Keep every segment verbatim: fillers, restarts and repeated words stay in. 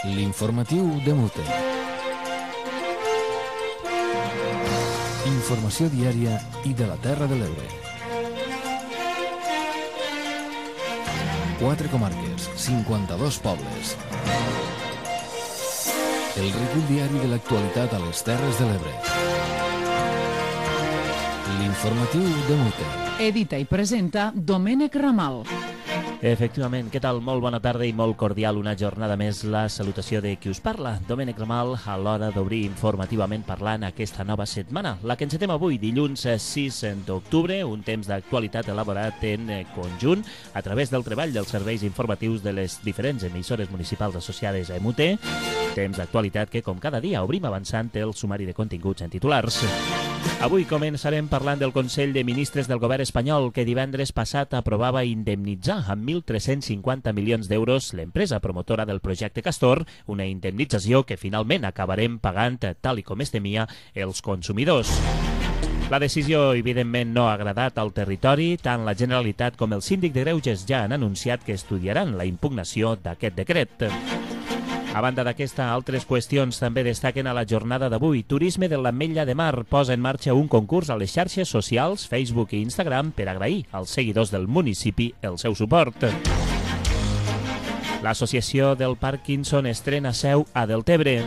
L'informatiu de Mute. Informació diària i de la Terra de l'Ebre. Quatre comarques, cinquanta-dos pobles. El recull diari de l'actualitat a les Terres de l'Ebre. L'informatiu de Mute. Edita i presenta Domènec Ramal. Efectivament, què tal? Molt bona tarda i molt cordial. Una jornada més, la salutació de qui us parla, Domènec Ramal, a l'hora d'obrir informativament parlant aquesta nova setmana. La que encetem avui, dilluns sis d'octubre, un temps d'actualitat elaborat en conjunt a través del treball dels serveis informatius de les diferents emissores municipals associades a M U T. Temps d'actualitat que, com cada dia, obrim avançant el sumari de continguts en titulars. Avui començarem parlant del Consell de Ministres del Govern espanyol que divendres passat aprovava indemnitzar amb mil tres-cents cinquanta milions d'euros l'empresa promotora del projecte Castor, una indemnització que finalment acabarem pagant, tal i com es temia, els consumidors. La decisió, evidentment, no ha agradat al territori. Tant la Generalitat com el Síndic de Greuges ja han anunciat que estudiaran la impugnació d'aquest decret. A banda d'aquesta, altres qüestions també destaquen a la jornada d'avui. Turisme de l'Ametlla de Mar posa en marxa un concurs a les xarxes socials, Facebook i Instagram, per agrair als seguidors del municipi el seu suport. L'Associació del Parkinson estrena seu a Deltebre.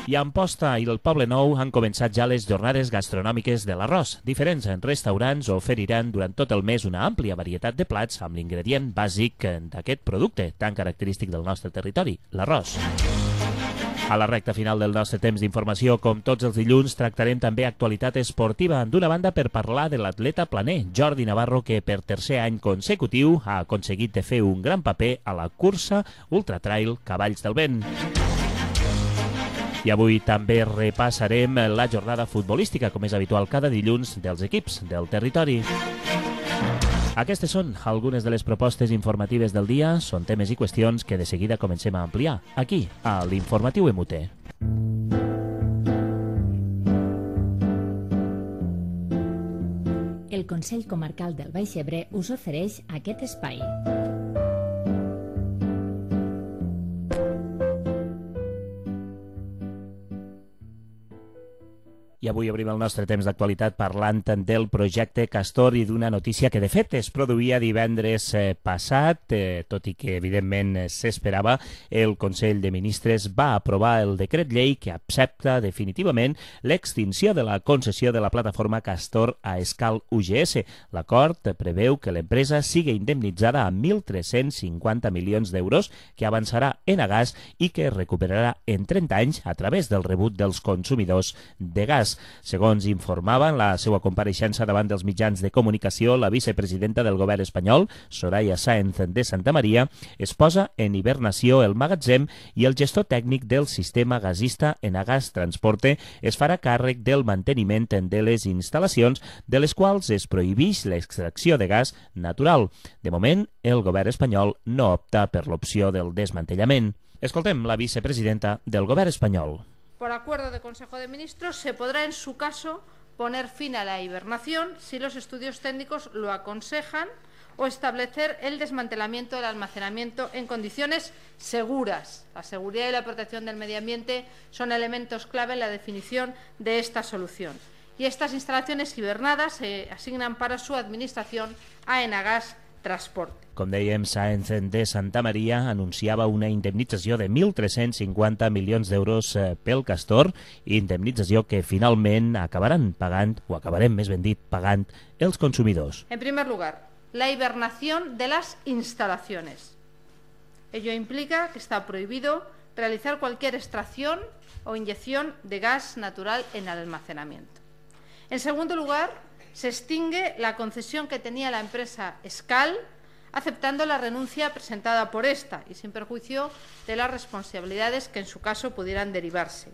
I a Amposta i el Poble Nou han començat ja les jornades gastronòmiques de l'arròs. Diferents restaurants oferiran durant tot el mes una àmplia varietat de plats amb l'ingredient bàsic d'aquest producte tan característic del nostre territori, l'arròs. A la recta final del nostre temps d'informació, com tots els dilluns, tractarem també actualitat esportiva. D'una banda, per parlar de l'atleta planer, Jordi Navarro, que per tercer any consecutiu ha aconseguit de fer un gran paper a la cursa Ultra Trail Cavalls del Vent. I avui també repassarem la jornada futbolística, com és habitual cada dilluns, dels equips del territori. Aquestes són algunes de les propostes informatives del dia. Són temes i qüestions que de seguida comencem a ampliar, aquí, a l'Informatiu M U T. El Consell Comarcal del Baix Ebre us ofereix aquest espai. I avui obrim el nostre temps d'actualitat parlant del projecte Castor i d'una notícia que de fet es produïa divendres passat, eh, tot i que evidentment s'esperava. El Consell de Ministres va aprovar el decret llei que accepta definitivament l'extinció de la concessió de la plataforma Castor a Escal U G S. L'acord preveu que l'empresa sigui indemnitzada amb mil tres-cents cinquanta milions d'euros que avançarà en Agas i que recuperarà en trenta anys a través del rebut dels consumidors de gas. Segons informava en la seva compareixença davant dels mitjans de comunicació, la vicepresidenta del govern espanyol, Soraya Sáenz de Santamaría, es posa en hibernació el magatzem i el gestor tècnic del sistema gasista Enagas Transporte es farà càrrec del manteniment de les instal·lacions de les quals es prohibeix l'extracció de gas natural. De moment, el govern espanyol no opta per l'opció del desmantellament. Escoltem la vicepresidenta del govern espanyol. Por acuerdo de Consejo de Ministros, se podrá en su caso poner fin a la hibernación si los estudios técnicos lo aconsejan o establecer el desmantelamiento del almacenamiento en condiciones seguras. La seguridad y la protección del medio ambiente son elementos clave en la definición de esta solución. Y estas instalaciones hibernadas se asignan para su administración a Enagas Transporte. Com dèiem, Sáenz de Santamaría anunciava una indemnització de mil tres-cents cinquanta milions d'euros pel Castor, indemnització que finalment acabaran pagant, o acabarem més ben dit, pagant els consumidors. En primer lugar, la hibernación de las instalaciones. Ello implica que está prohibido realizar cualquier extracción o inyección de gas natural en el almacenamiento. En segundo lugar, se extingue la concesión que tenía la empresa Escal, aceptando la renuncia presentada por esta y sin perjuicio de las responsabilidades que en su caso pudieran derivarse.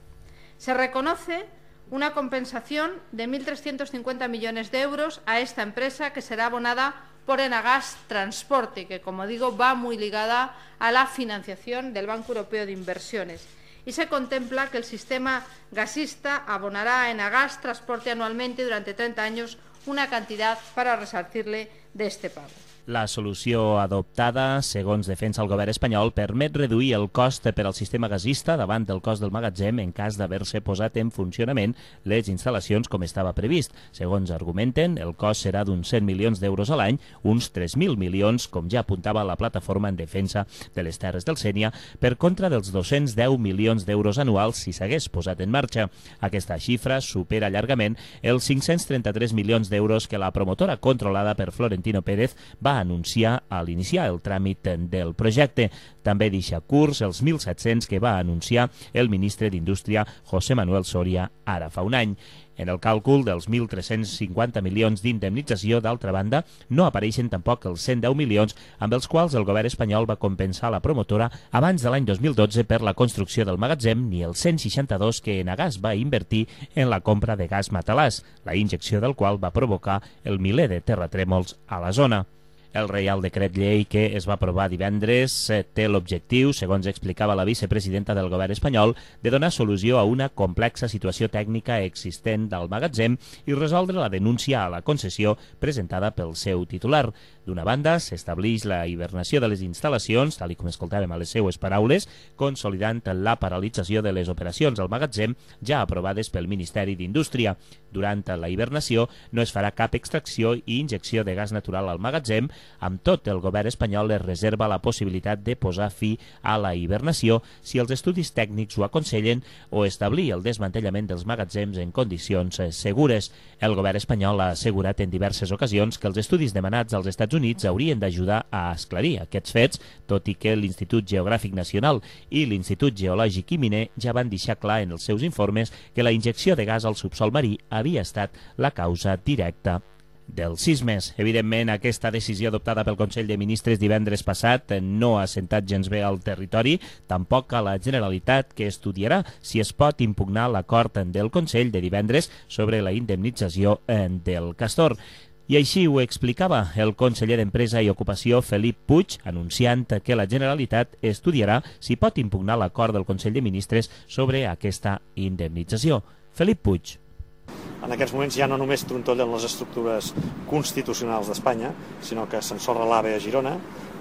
Se reconoce una compensación de mil trescientos cincuenta millones de euros a esta empresa que será abonada por Enagas Transporte, que, como digo, va muy ligada a la financiación del Banco Europeo de Inversiones. Y se contempla que el sistema gasista abonará a Enagas Transporte anualmente durante treinta años una cantidad para resarcirle de este pago. La solució adoptada, segons defensa el govern espanyol, permet reduir el cost per al sistema gasista davant del cost del magatzem en cas d'haver-se posat en funcionament les instal·lacions com estava previst. Segons argumenten, el cost serà d'uns cent milions d'euros a l'any, uns tres mil milions, com ja apuntava la plataforma en defensa de les Terres del Sénia, per contra dels dos-cents deu milions d'euros anuals si s'hagués posat en marxa. Aquesta xifra supera llargament els cinc-cents trenta-tres milions d'euros que la promotora controlada per Florentino Pérez va anunciar a l'iniciar el tràmit del projecte. També deixa curts els mil set-cents que va anunciar el ministre d'Indústria José Manuel Soria ara fa un any. En el càlcul dels mil tres-cents cinquanta milions d'indemnització, d'altra banda, no apareixen tampoc els cent deu milions amb els quals el govern espanyol va compensar la promotora abans de l'any dos mil dotze per la construcció del magatzem, ni els cent seixanta-dos que Enagás va invertir en la compra de gas matalàs, la injecció del qual va provocar el miler de terratrèmols a la zona. El Reial Decret Llei que es va aprovar divendres té l'objectiu, segons explicava la vicepresidenta del govern espanyol, de donar solució a una complexa situació tècnica existent del magatzem i resoldre la denúncia a la concessió presentada pel seu titular. D'una banda, s'estableix la hibernació de les instal·lacions, tal com escoltàvem a les seues paraules, consolidant la paralització de les operacions al magatzem ja aprovades pel Ministeri d'Indústria. Durant la hibernació no es farà cap extracció i injecció de gas natural al magatzem. Amb tot, el govern espanyol es reserva la possibilitat de posar fi a la hibernació si els estudis tècnics ho aconsellen o establir el desmantellament dels magatzems en condicions segures. El govern espanyol ha assegurat en diverses ocasions que els estudis demanats als Estats Units haurien d'ajudar a esclarir aquests fets, tot i que l'Institut Geogràfic Nacional i l'Institut Geològic i Miner ja van deixar clar en els seus informes que la injecció de gas al subsol marí havia estat la causa directa dels sismes. Evidentment, aquesta decisió adoptada pel Consell de Ministres divendres passat no ha sentat gens bé al territori, tampoc a la Generalitat, que estudiarà si es pot impugnar l'acord del Consell de divendres sobre la indemnització del castor. I així ho explicava el conseller d'Empresa i Ocupació, Felip Puig, anunciant que la Generalitat estudiarà si pot impugnar l'acord del Consell de Ministres sobre aquesta indemnització. Felip Puig. En aquests moments ja no només trontollen les estructures constitucionals d'Espanya, sinó que s'ensorra l'AVE a Girona,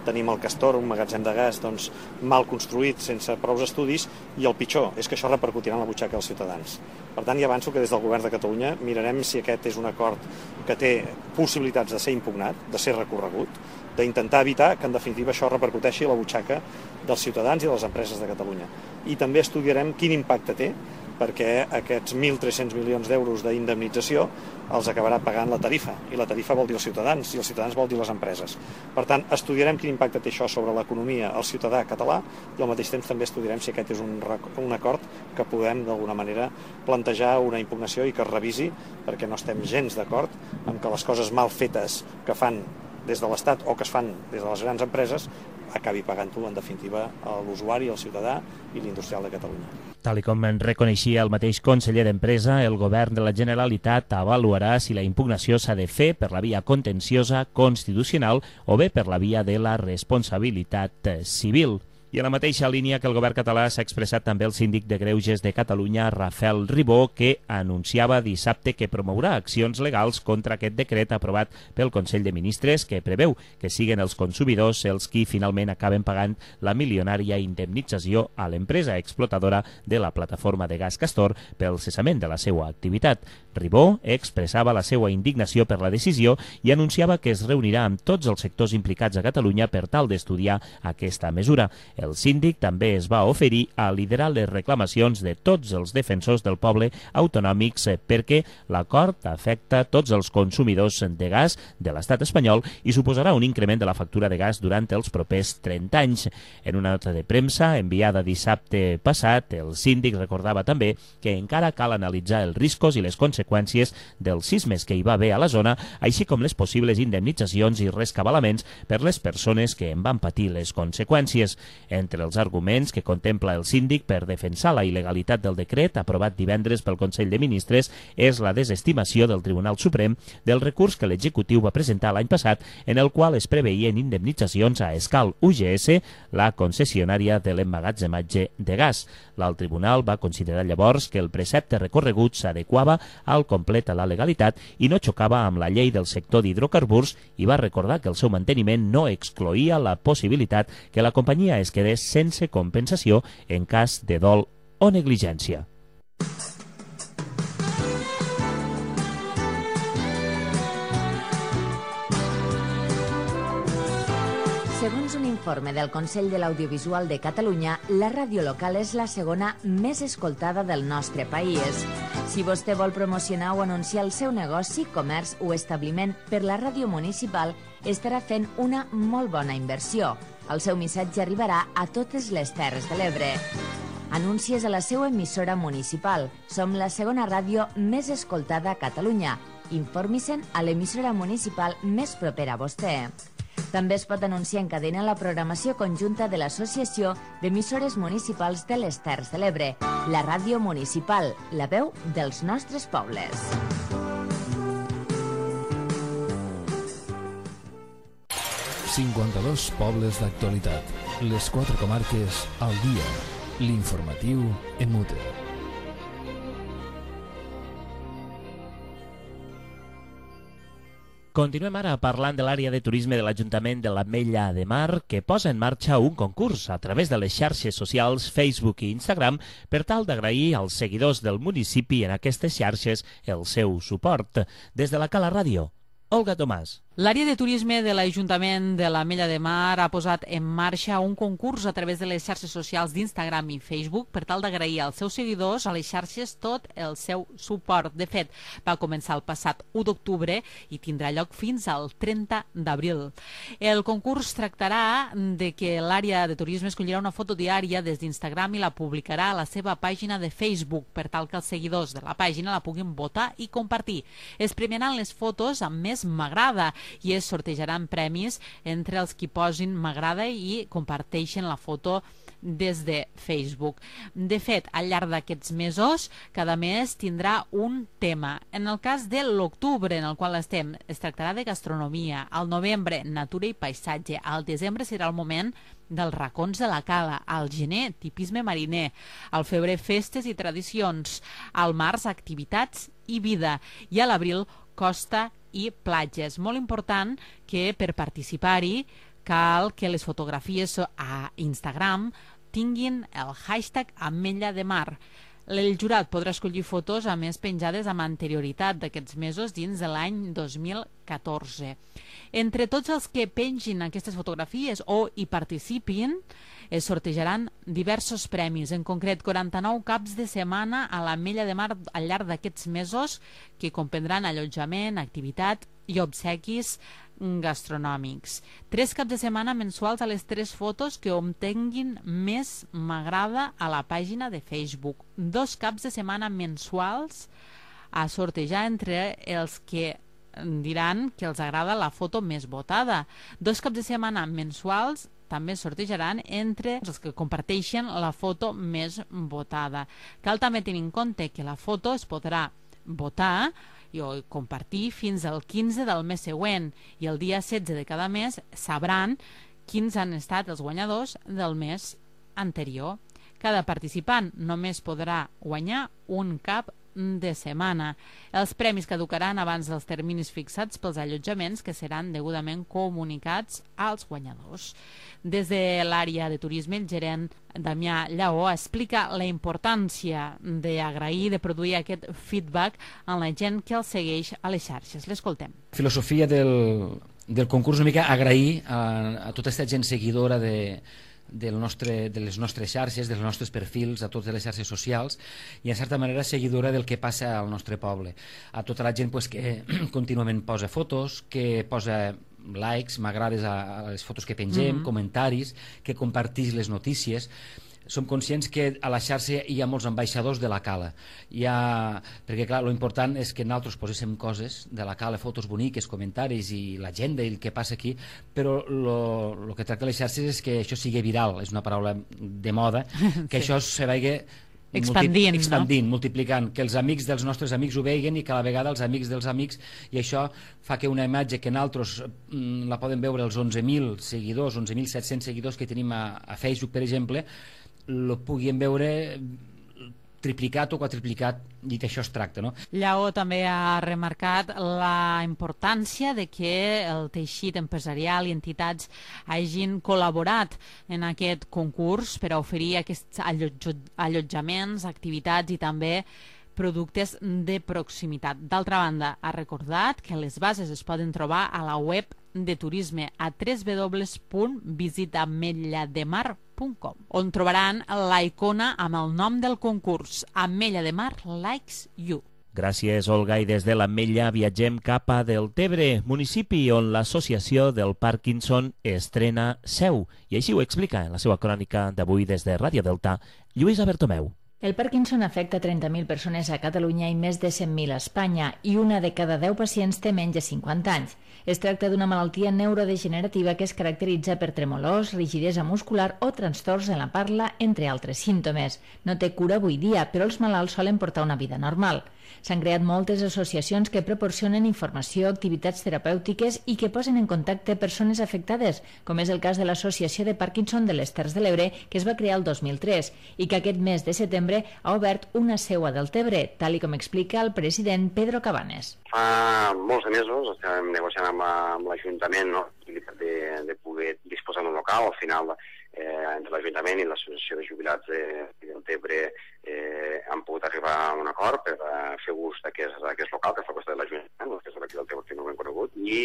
tenim el Castor, un magatzem de gas doncs, mal construït, sense prous estudis, i el pitjor és que això repercutirà en la butxaca dels ciutadans. Per tant, ja avanço que des del Govern de Catalunya mirarem si aquest és un acord que té possibilitats de ser impugnat, de ser recorregut, d'intentar evitar que en definitiva això repercuteixi a la butxaca dels ciutadans i de les empreses de Catalunya. I també estudiarem quin impacte té, perquè aquests mil tres-cents milions d'euros d'indemnització els acabarà pagant la tarifa, i la tarifa vol dir els ciutadans, i els ciutadans vol dir les empreses. Per tant, estudiarem quin impacte té això sobre l'economia, el ciutadà català, i al mateix temps també estudiarem si aquest és un, un acord que podem d'alguna manera plantejar una impugnació i que es revisi, perquè no estem gens d'acord amb que les coses mal fetes que fan des de l'Estat o que es fan des de les grans empreses acabi pagant-ho, en definitiva, a l'usuari, el ciutadà i l'industrial de Catalunya. Tal com en reconeixia el mateix conseller d'Empresa, el govern de la Generalitat avaluarà si la impugnació s'ha de fer per la via contenciosa constitucional o bé per la via de la responsabilitat civil. I a la mateixa línia que el govern català s'ha expressat també el síndic de Greuges de Catalunya, Rafael Ribó, que anunciava dissabte que promourà accions legals contra aquest decret aprovat pel Consell de Ministres que preveu que siguen els consumidors els qui finalment acaben pagant la milionària indemnització a l'empresa explotadora de la plataforma de gas Castor pel cessament de la seva activitat. Ribó expressava la seva indignació per la decisió i anunciava que es reunirà amb tots els sectors implicats a Catalunya per tal d'estudiar aquesta mesura. El síndic també es va oferir a liderar les reclamacions de tots els defensors del poble autonòmics perquè l'acord afecta tots els consumidors de gas de l'estat espanyol i suposarà un increment de la factura de gas durant els propers trenta anys. En una nota de premsa enviada dissabte passat, el síndic recordava també que encara cal analitzar els riscos i les conseqüències dels sismes que hi va haver a la zona, així com les possibles indemnitzacions i rescabalaments per les persones que en van patir les conseqüències. Entre els arguments que contempla el síndic per defensar la il·legalitat del decret aprovat divendres pel Consell de Ministres és la desestimació del Tribunal Suprem del recurs que l'executiu va presentar l'any passat en el qual es preveien indemnitzacions a Escal U G S, la concessionària de l'emmagatzematge de gas. L'alt tribunal va considerar llavors que el precepte recorregut s'adequava al complet a la legalitat i no xocava amb la llei del sector d'hidrocarburs i va recordar que el seu manteniment no excloïa la possibilitat que la companyia es quedés sense compensació en cas de dol o negligència. Segons un informe del Consell de l'Audiovisual de Catalunya, la ràdio local és la segona més escoltada del nostre país. Si vostè vol promocionar o anunciar el seu negoci, comerç o establiment per la ràdio municipal, estarà fent una molt bona inversió. El seu missatge arribarà a totes les Terres de l'Ebre. Anuncies a la seva emissora municipal. Som la segona ràdio més escoltada a Catalunya. Informi-se'n a l'emissora municipal més propera a vostè. També es pot anunciar en cadena la programació conjunta de l'Associació d'Emissores Municipals de les Terres de l'Ebre, la ràdio municipal, la veu dels nostres pobles. cinquanta-dos pobles d'actualitat. Les quatre comarques al dia. L'informatiu en mute. Continuem ara parlant de l'àrea de turisme de l'Ajuntament de l'Ametlla de Mar, que posa en marxa un concurs a través de les xarxes socials Facebook i Instagram per tal d'agrair als seguidors del municipi en aquestes xarxes el seu suport. Des de la Cala Ràdio, Olga Tomàs. L'àrea de turisme de l'Ajuntament de l'Ametlla de Mar ha posat en marxa un concurs a través de les xarxes socials d'Instagram i Facebook per tal d'agrair als seus seguidors a les xarxes tot el seu suport. De fet, va començar el passat u d'octubre i tindrà lloc fins al trenta d'abril. El concurs tractarà de que l'àrea de turisme escollirà una foto diària des d'Instagram i la publicarà a la seva pàgina de Facebook per tal que els seguidors de la pàgina la puguin votar i compartir. Es premiaran les fotos amb més m'agrada i es sortejaran premis entre els qui posin m'agrada i comparteixen la foto des de Facebook. De fet, al llarg d'aquests mesos, cada mes tindrà un tema. En el cas de l'octubre, en el qual estem, es tractarà de gastronomia. Al novembre, natura i paisatge. Al desembre serà el moment dels racons de la cala. Al gener, tipisme mariner. Al febrer, festes i tradicions. Al març, activitats i vida. I a l'abril, costa i platges. Molt important que per participar-hi cal que les fotografies a Instagram tinguin el hashtag Ametlla de Mar. El jurat podrà escollir fotos a més penjades amb anterioritat d'aquests mesos dins de l'any dos mil catorze. Entre tots els que pengin aquestes fotografies o hi participin, es sortejaran diversos premis, en concret quaranta-nou caps de setmana a l'Ametlla de Mar al llarg d'aquests mesos que comprendran allotjament, activitat i obsequis gastronòmics. Tres caps de setmana mensuals a les tres fotos que obtenguin més m'agrada a la pàgina de Facebook. Dos caps de setmana mensuals a sortejar entre els que diran que els agrada la foto més votada. Dos caps de setmana mensuals també sortejaran entre els que comparteixen la foto més votada. Cal també tenir en compte que la foto es podrà votar i compartir fins al quinze del mes següent i el dia setze de cada mes sabran quins han estat els guanyadors del mes anterior. Cada participant només podrà guanyar un cap de setmana. Els premis caducaran abans dels terminis fixats pels allotjaments que seran degudament comunicats als guanyadors. Des de l'àrea de turisme, el gerent Damià Lleó explica la importància d'agrair, de produir aquest feedback en la gent que el segueix a les xarxes. L'escoltem. La filosofia del, del concurs una mica agrair a, a tota aquesta gent seguidora de del nostre, de les nostres xarxes, dels nostres perfils, a totes les xarxes socials i en certa manera seguidora del que passa al nostre poble. A tota la gent pues, que contínuament posa fotos, que posa likes, m'agrades a, a les fotos que pengem, mm-hmm. comentaris, que compartix les notícies. som conscients que a la xarxa hi ha molts ambaixadors de la Cala. Hi ha, perquè clar, lo important és que nosaltres poséssim coses de la Cala, fotos boniques, comentaris i l'agenda i el que passa aquí, però el que tracta les xarxes és que això sigui viral, és una paraula de moda, que sí. Això se vagi expandint, multi, expandint no? multiplicant, que els amics dels nostres amics ho veguin i que a la vegada els amics dels amics, i això fa que una imatge que nosaltres mm, la poden veure els onze mil seguidors, onze mil set-cents seguidors que tenim a, a Facebook, per exemple, lo puguin veure triplicat o quadriplicat, i d'això es tracta, no? Lleó també ha remarcat la importància de que el teixit empresarial i entitats hagin col·laborat en aquest concurs per a oferir aquests allotjaments, activitats i també productes de proximitat. D'altra banda, ha recordat que les bases es poden trobar a la web de turisme a w w w punt visita ametlla de mar punt com, on trobaran la icona amb el nom del concurs, Ametlla de Mar Likes You. Gràcies, Olga, i des de l'Ametlla viatgem cap a Deltebre, municipi on l'associació del Parkinson estrena seu, i així ho explica en la seva crònica d'avui des de Ràdio Delta, Lluïsa Bertomeu. El Parkinson afecta trenta mil persones a Catalunya i més de cent mil a Espanya, i una de cada deu pacients té menys de cinquanta anys. Es tracta d'una malaltia neurodegenerativa que es caracteritza per tremolors, rigidesa muscular o trastorns en la parla, entre altres símptomes. No té cura avui dia, però els malalts solen portar una vida normal. S'han creat moltes associacions que proporcionen informació, activitats terapèutiques i que posen en contacte persones afectades, com és el cas de l'Associació de Parkinson de les Terres de l'Ebre, que es va crear el dos mil tres i que aquest mes de setembre ha obert una seu a Deltebre, tal i com explica el president Pedro Cabanes. Fa molts mesos estem negociant amb l'Ajuntament, no?, de, de poder disposar d'un local. Al final, eh, entre l'Ajuntament i l'Associació de Jubilats de, de Deltebre eh, han pogut arribar a un acord per uh, fer ús d'aquest local que fa costat de l'Ajuntament, que és d'aquí del Deltebre, que no ho hem conegut, i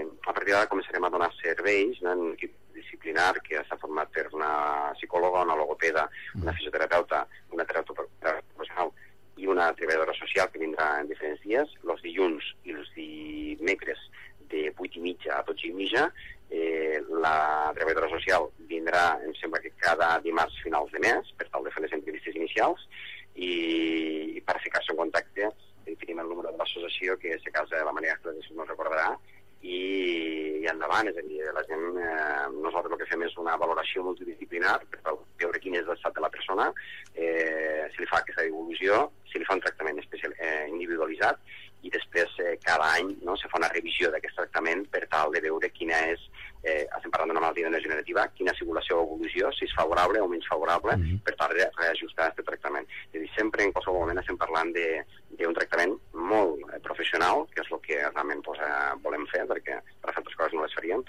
a partir d'ara començarem a donar serveis, no?, en equip disciplinar que està format per una psicòloga, una logopeda, una fisioterapeuta, una terapeuta professional i una treballadora social que vindrà en diferents dies. Els dilluns i els dimecres de vuit i mitja a dotze i mitja. Eh, la treballadora social vindrà, em sembla que cada dimarts finals de mes, per tal de fer les entrevistes inicials, i, i per ficar-se en contacte tenim el número de l'associació, que si a casa la Maria Ángeles no recordarà, i, i endavant, és a dir, la gent, eh, nosaltres el que fem és una valoració multidisciplinar per veure quin és l'estat de la persona, eh, si li fa aquesta evolució, si li fa un tractament especial, eh, individualitzat, i després eh, cada any, no, se fa una revisió d'aquest tractament per tal de veure quina és, eh, estem parlant d'una malaltia neurodegenerativa, quina ha sigut la seva evolució, si és favorable o menys favorable, mm-hmm. per tal de reajustar aquest tractament. És a dir, sempre, en qualsevol moment, estem parlant d'un tractament molt eh, professional, que és el que realment pues, eh, volem fer, perquè per altres coses no les faríem,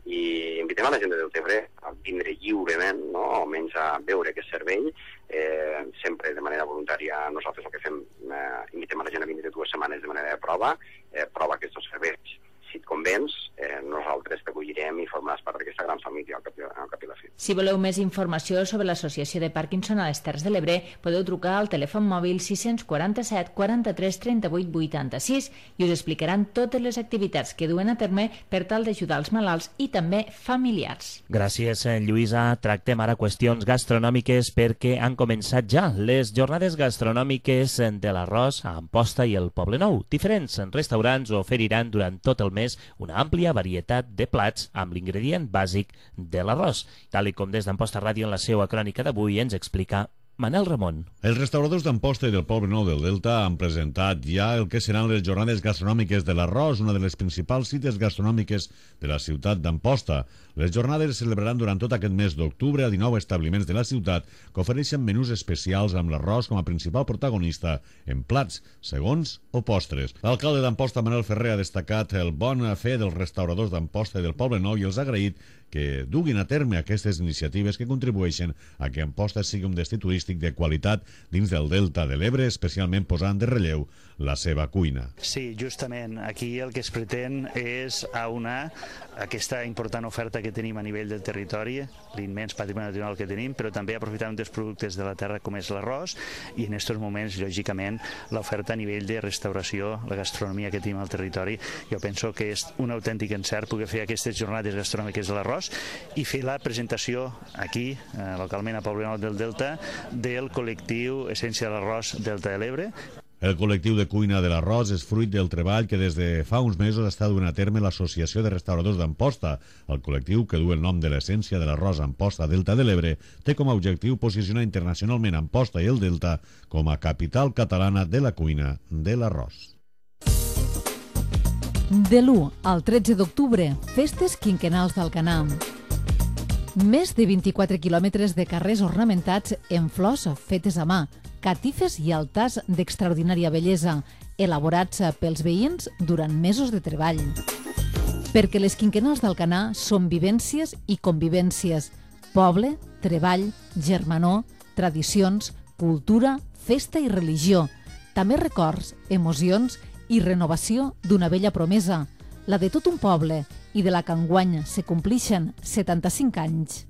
i invitem a la gent de Deltebre a vindre lliurement, no?, almenys a veure aquest servei, eh, sempre de manera voluntària. Nosaltres el que fem, eh, invitem a la gent a vindre dues setmanes de manera de prova, eh, prova aquests serveis. Si et convenç, eh, nosaltres t'acollirem i formaràs part d'aquesta gran família al cap, al cap i la fi. Si voleu més informació sobre l'Associació de Parkinson a les Terres de l'Ebre, podeu trucar al telèfon mòbil sis quatre set, quaranta-tres, trenta-vuit, vuitanta-sis i us explicaran totes les activitats que duen a terme per tal d'ajudar els malalts i també familiars. Gràcies, Lluïsa. Tractem ara qüestions gastronòmiques perquè han començat ja les jornades gastronòmiques de l'Arròs a Amposta i el Poblenou. Diferents restaurants oferiran durant tot el mes una àmplia varietat de plats amb l'ingredient bàsic de l'arròs, tal i com des d'Amposta Ràdio en la seva crònica d'avui ens explica Manel Ramon. Els restauradors d'Amposta i del Poblenou del Delta han presentat ja el que seran les jornades gastronòmiques de l'Arròs, una de les principals cites gastronòmiques de la ciutat d'Amposta. Les jornades es celebraran durant tot aquest mes d'octubre a dinou establiments de la ciutat que ofereixen menús especials amb l'arròs com a principal protagonista en plats, segons o postres. L'alcalde d'Amposta, Manel Ferrer, ha destacat el bon fer dels restauradors d'Amposta i del Poblenou i els ha agraït que duguin a terme aquestes iniciatives que contribueixen a que Amposta sigui un destí turístic de qualitat dins del Delta de l'Ebre, especialment posant de relleu la seva cuina. Sí, justament. Aquí el que es pretén és aunar aquesta important oferta que tenim a nivell del territori, l'immens patrimoni natural que tenim, però també aprofitar un dels productes de la terra com és l'arròs i en aquests moments, lògicament, l'oferta a nivell de restauració, la gastronomia que tenim al territori. Jo penso que és un autèntic encert poder fer aquestes jornades gastronòmiques de l'arròs l'arròs i fer la presentació aquí, eh, localment a Poblenou del Delta, del col·lectiu Essència de l'Arròs Delta de l'Ebre. El col·lectiu de cuina de l'arròs és fruit del treball que des de fa uns mesos està duent a terme l'Associació de Restauradors d'Amposta. El col·lectiu, que du el nom de l'Essència de l'Arròs Amposta Delta de l'Ebre, té com a objectiu posicionar internacionalment Amposta i el Delta com a capital catalana de la cuina de l'arròs. De l'u al tretze d'octubre, festes quinquennals d'Alcanar. Més de vint-i-quatre quilòmetres de carrers ornamentats en flors fetes a mà, catifes i altars d'extraordinària bellesa, elaborats pels veïns durant mesos de treball. Perquè les quinquennals d'Alcanar són vivències i convivències, poble, treball, germanor, tradicions, cultura, festa i religió, també records, emocions i renovació d'una vella promesa, la de tot un poble i de la que enguany se complixen setanta-cinc anys.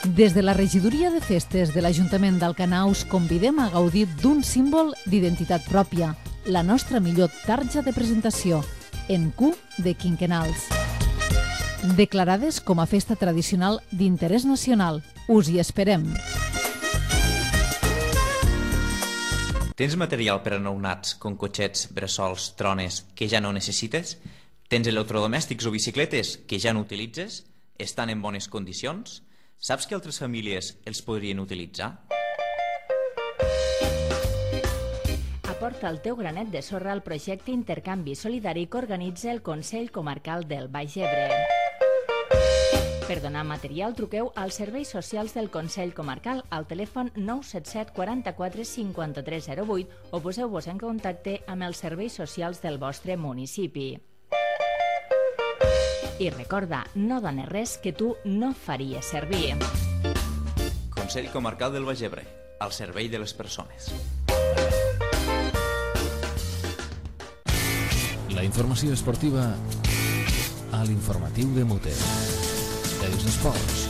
Des de la regidoria de festes de l'Ajuntament d'Alcanar us convidem a gaudir d'un símbol d'identitat pròpia, la nostra millor tarja de presentació, en Q de quinquennals. Declarades com a festa tradicional d'interès nacional. Us hi esperem. Tens material per a nounats, com cotxets, bressols, trones, que ja no necessites? Tens electrodomèstics o bicicletes que ja no utilitzes? Estan en bones condicions? Saps que altres famílies els podrien utilitzar? Aporta el teu granet de sorra al projecte Intercanvi Solidari que organitza el Consell Comarcal del Baix Ebre. Per donar material, truqueu als serveis socials del Consell Comarcal al telèfon nou set set quaranta-quatre cinquanta-tres zero vuit o poseu-vos en contacte amb els serveis socials del vostre municipi. I recorda, no dones res que tu no faries servir. Consell Comarcal del Baix Ebre, al servei de les persones. La informació esportiva a l'informatiu de Muter. Els esports.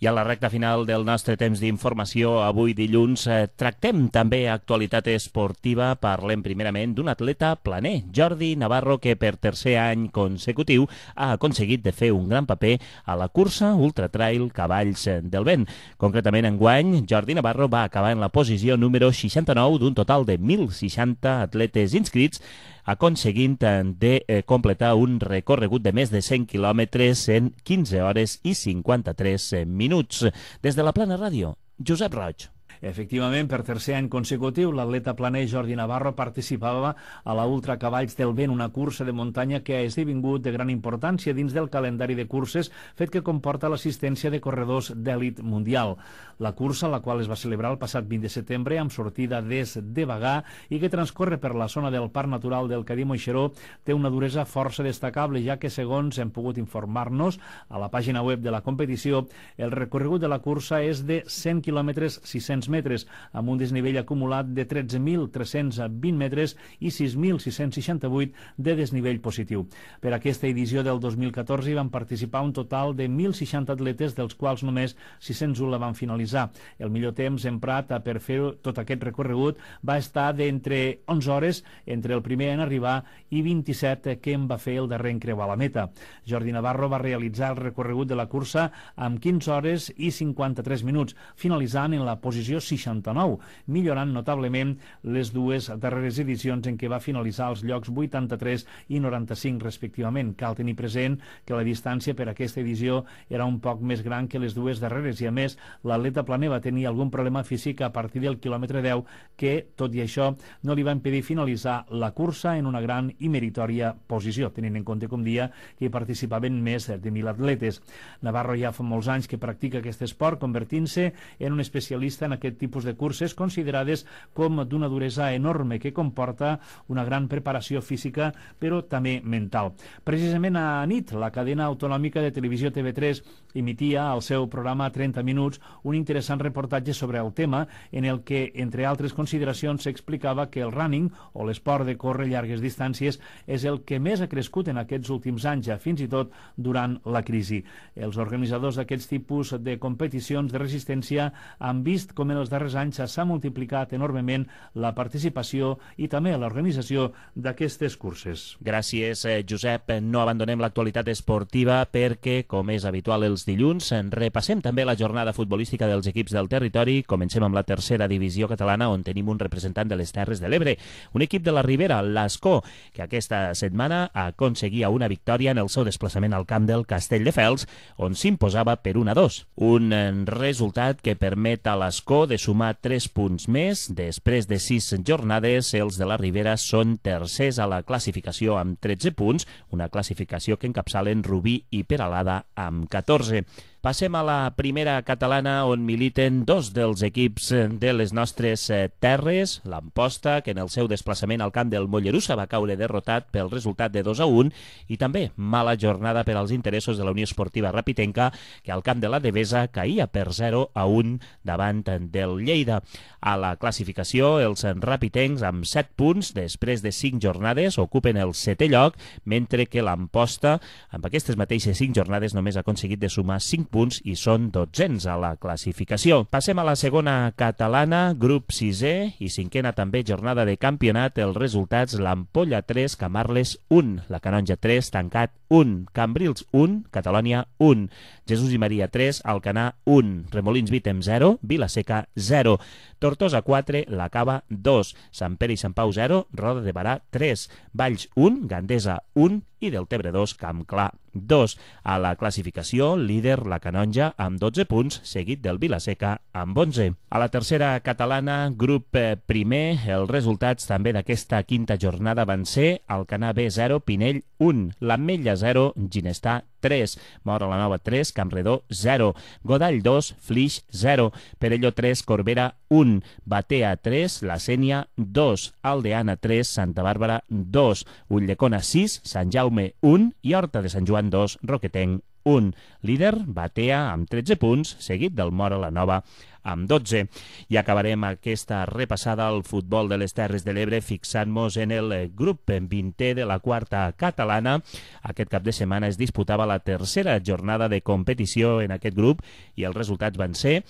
I a la recta final del nostre temps d'informació, avui dilluns, eh, tractem també actualitat esportiva. Parlem primerament d'un atleta planer, Jordi Navarro, que per tercer any consecutiu ha aconseguit de fer un gran paper a la cursa Ultra Trail Cavalls del Vent. Concretament, enguany, Jordi Navarro va acabar en la posició número seixanta-nou d'un total de mil seixanta atletes inscrits, aconseguint de eh, completar un recorregut de més de cent quilòmetres en quinze hores i cinquanta-tres minuts. Des de la Plana Ràdio, Josep Roig. Efectivament, per tercer any consecutiu, l'atleta planer Jordi Navarro participava a la Ultra Cavalls del Vent, una cursa de muntanya que ha esdevingut de gran importància dins del calendari de curses, fet que comporta l'assistència de corredors d'èlit mundial. La cursa, la qual es va celebrar el passat vint de setembre amb sortida des de Bagà i que transcorre per la zona del Parc Natural del Cadí-Moixeró, té una duresa força destacable, ja que, segons hem pogut informar-nos a la pàgina web de la competició, el recorregut de la cursa és de cent quilòmetres sis-cents metres, amb un desnivell acumulat de tretze mil tres-cents vint metres i sis mil sis-cents seixanta-vuit de desnivell positiu. Per aquesta edició del dos mil catorze hi van participar un total de mil seixanta atletes, dels quals només sis-cents u la van finalitzar. El millor temps emprat per fer tot aquest recorregut va estar d'entre onze hores entre el primer en arribar i vint-i-set que en va fer el darrer en creuar la meta. Jordi Navarro va realitzar el recorregut de la cursa amb quinze hores i cinquanta-tres minuts, finalitzant en la posició seixanta-nou, millorant notablement les dues darreres edicions en què va finalitzar als llocs vuitanta-tres i noranta-cinc respectivament. Cal tenir present que la distància per aquesta edició era un poc més gran que les dues darreres i, a més, l'atleta planer va tenir algun problema físic a partir del quilòmetre deu que, tot i això, no li va impedir finalitzar la cursa en una gran i meritòria posició, tenint en compte, com dia, que hi participaven més de mil atletes. Navarro ja fa molts anys que practica aquest esport, convertint-se en un especialista en aquest tipus de curses considerades com d'una duresa enorme que comporta una gran preparació física però també mental. Precisament a nit, la cadena autonòmica de televisió T V tres emitia al seu programa trenta minuts un interessant reportatge sobre el tema en el que, entre altres consideracions, s'explicava que el running o l'esport de córrer llargues distàncies és el que més ha crescut en aquests últims anys, fins i tot durant la crisi. Els organitzadors d'aquests tipus de competicions de resistència han vist com especialment els darrers anys s'ha multiplicat enormement la participació i també l'organització d'aquestes curses. Gràcies, Josep. No abandonem l'actualitat esportiva perquè, com és habitual els dilluns, repassem també la jornada futbolística dels equips del territori. Comencem amb la tercera divisió catalana, on tenim un representant de les Terres de l'Ebre, un equip de la Ribera, l'Ascó, que aquesta setmana aconseguia una victòria en el seu desplaçament al camp del Castelldefels, on s'imposava per un a dos. Un resultat que permet a l'Ascó de sumar tres punts més. Després de sis jornades, els de la Ribera són tercers a la classificació amb tretze punts, una classificació que encapçalen Rubí i Peralada amb catorze. Passem a la primera catalana, on militen dos dels equips de les nostres terres, l'Amposta, que en el seu desplaçament al camp del Mollerussa va caure derrotat pel resultat de dos a un, i també mala jornada per als interessos de la Unió Esportiva Rapitenca, que al camp de la Devesa caïa per zero a un davant del Lleida. A la classificació, els rapitencs, amb set punts, després de cinc jornades, ocupen el setè lloc, mentre que l'Amposta, amb aquestes mateixes cinc jornades, només ha aconseguit de sumar cinc punts i són dotzens a la classificació. Passem a la segona catalana, grup sisè i cinquena també jornada de campionat. Els resultats: l'Ampolla tres, Camarles un, la Canonja tres, Tancat un, Cambrils un, Catalònia un, Jesús i Maria tres, Alcanar un, Remolins Vítem zero, Vilaseca zero, Tortosa quatre, La Cava dos, Sant Pere i Sant Pau zero, Roda de Barà tres, Valls un, Gandesa un i Deltebre dos, Camp Clar dos. A la classificació, líder la Canonja amb dotze punts, seguit del Vilaseca amb onze. A la tercera catalana, grup primer, els resultats també d'aquesta quinta jornada van ser Alcanar B zero, Pinell un, l'Ametlla zero, Ginestar tres, Mora la Nova tres, Campredó zero, Godall dos, Flix zero, Perelló tres, Corbera un, Batea tres, La Sénia dos, Aldeana tres, Santa Bàrbara dos, Ulldecona sis, Sant Jaume un i Horta de Sant Joan dos, Roquetenc un. Líder, Batea, amb tretze punts, seguit del Mora la Nova amb dotze. I acabarem aquesta repassada al futbol de les Terres de l'Ebre fixant-nos en el grup vintè de la quarta catalana. Aquest cap de setmana es disputava la tercera jornada de competició en aquest grup i els resultats van ser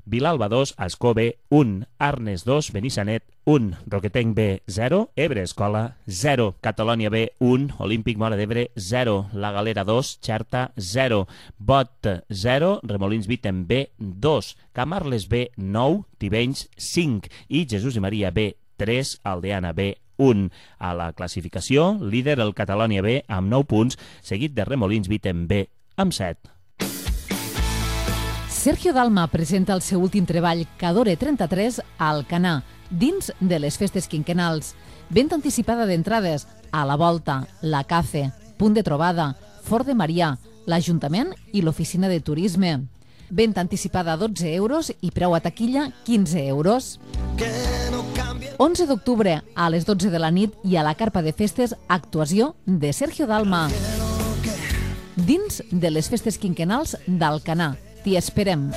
Vilalba dos, Ascó B un, Arnes dos, Benissanet un, Roquetenc B zero, Ebre Escola zero, Catalònia B un, Olímpic Móra d'Ebre zero, La Galera dos, Xerta zero, Bot zero, Remolins Vítem B dos, Camarles B nou, Tivenys cinc i Jesús i Maria B tres, Aldeana B un. A la classificació, líder el Catalònia B amb nou punts, seguit de Remolins Vítem B amb set. Sergio Dalma presenta el seu últim treball, Cadore trenta-tres, a Alcanar, dins de les festes quinquenals. Venda anticipada d'entrades a la Volta, la Cafe, Punt de Trobada, Fort de Marià, l'Ajuntament i l'Oficina de Turisme. Venda anticipada a dotze euros i preu a taquilla quinze euros. onze d'octubre, a les dotze de la nit i a la carpa de festes, actuació de Sergio Dalma. Dins de les festes quinquenals d'Alcanar. T'hi esperem.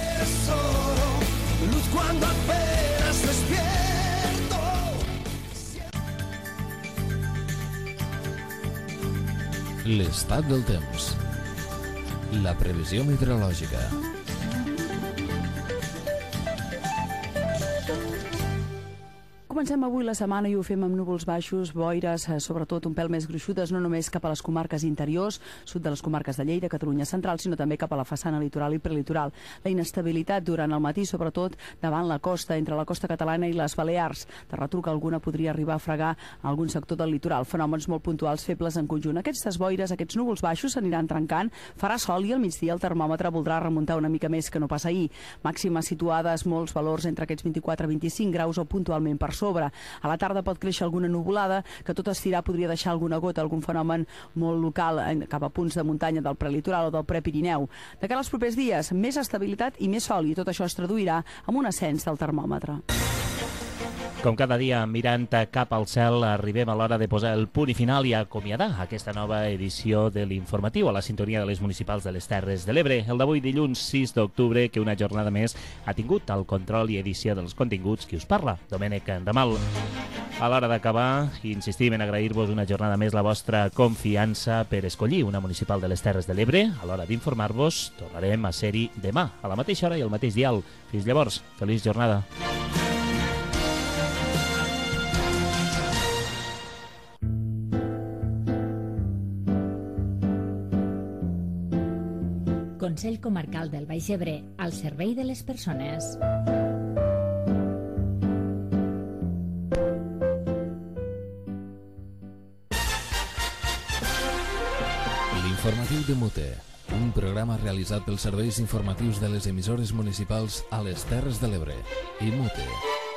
L'estat del temps. La previsió meteorològica. Comencem avui la setmana i ho fem amb núvols baixos, boires, sobretot un pèl més gruixudes, no només cap a les comarques interiors, sud de les comarques de Lleida, Catalunya central, sinó també cap a la façana litoral i prelitoral. La inestabilitat durant el matí, sobretot davant la costa, entre la costa catalana i les Balears. De retruc alguna podria arribar a fregar algun sector del litoral. Fenòmens molt puntuals, febles en conjunt. Aquestes boires, aquests núvols baixos s'aniran trencant, farà sol i al migdia el termòmetre voldrà remuntar una mica més que no pas ahir. Màximes situades, molts valors entre aquests vint-i-quatre a vint-i-cinc graus o puntualment per sobre. A la tarda pot créixer alguna nuvolada que tot estirar podria deixar alguna gota, algun fenomen molt local cap a punts de muntanya del prelitoral o del prepirineu. De cara als propers dies, més estabilitat i més sol, i tot això es traduirà en un ascens del termòmetre. Com cada dia, mirant cap al cel, arribem a l'hora de posar el punt i final i acomiadar aquesta nova edició de l'Informatiu a la sintonia de les municipals de les Terres de l'Ebre. El d'avui, dilluns sis d'octubre, que una jornada més ha tingut el control i edició dels continguts qui us parla, Domènec Ramal. A l'hora d'acabar, insistim en agrair-vos una jornada més la vostra confiança per escollir una municipal de les Terres de l'Ebre. A l'hora d'informar-vos, tornarem a ser-hi demà, a la mateixa hora i al mateix dial. Fins llavors, feliç jornada. Consell Comarcal del Baix Ebre, al servei de les persones. L'informatiu de Mute, un programa realitzat pels serveis informatius de les emissores municipals a les Terres de l'Ebre i Mute.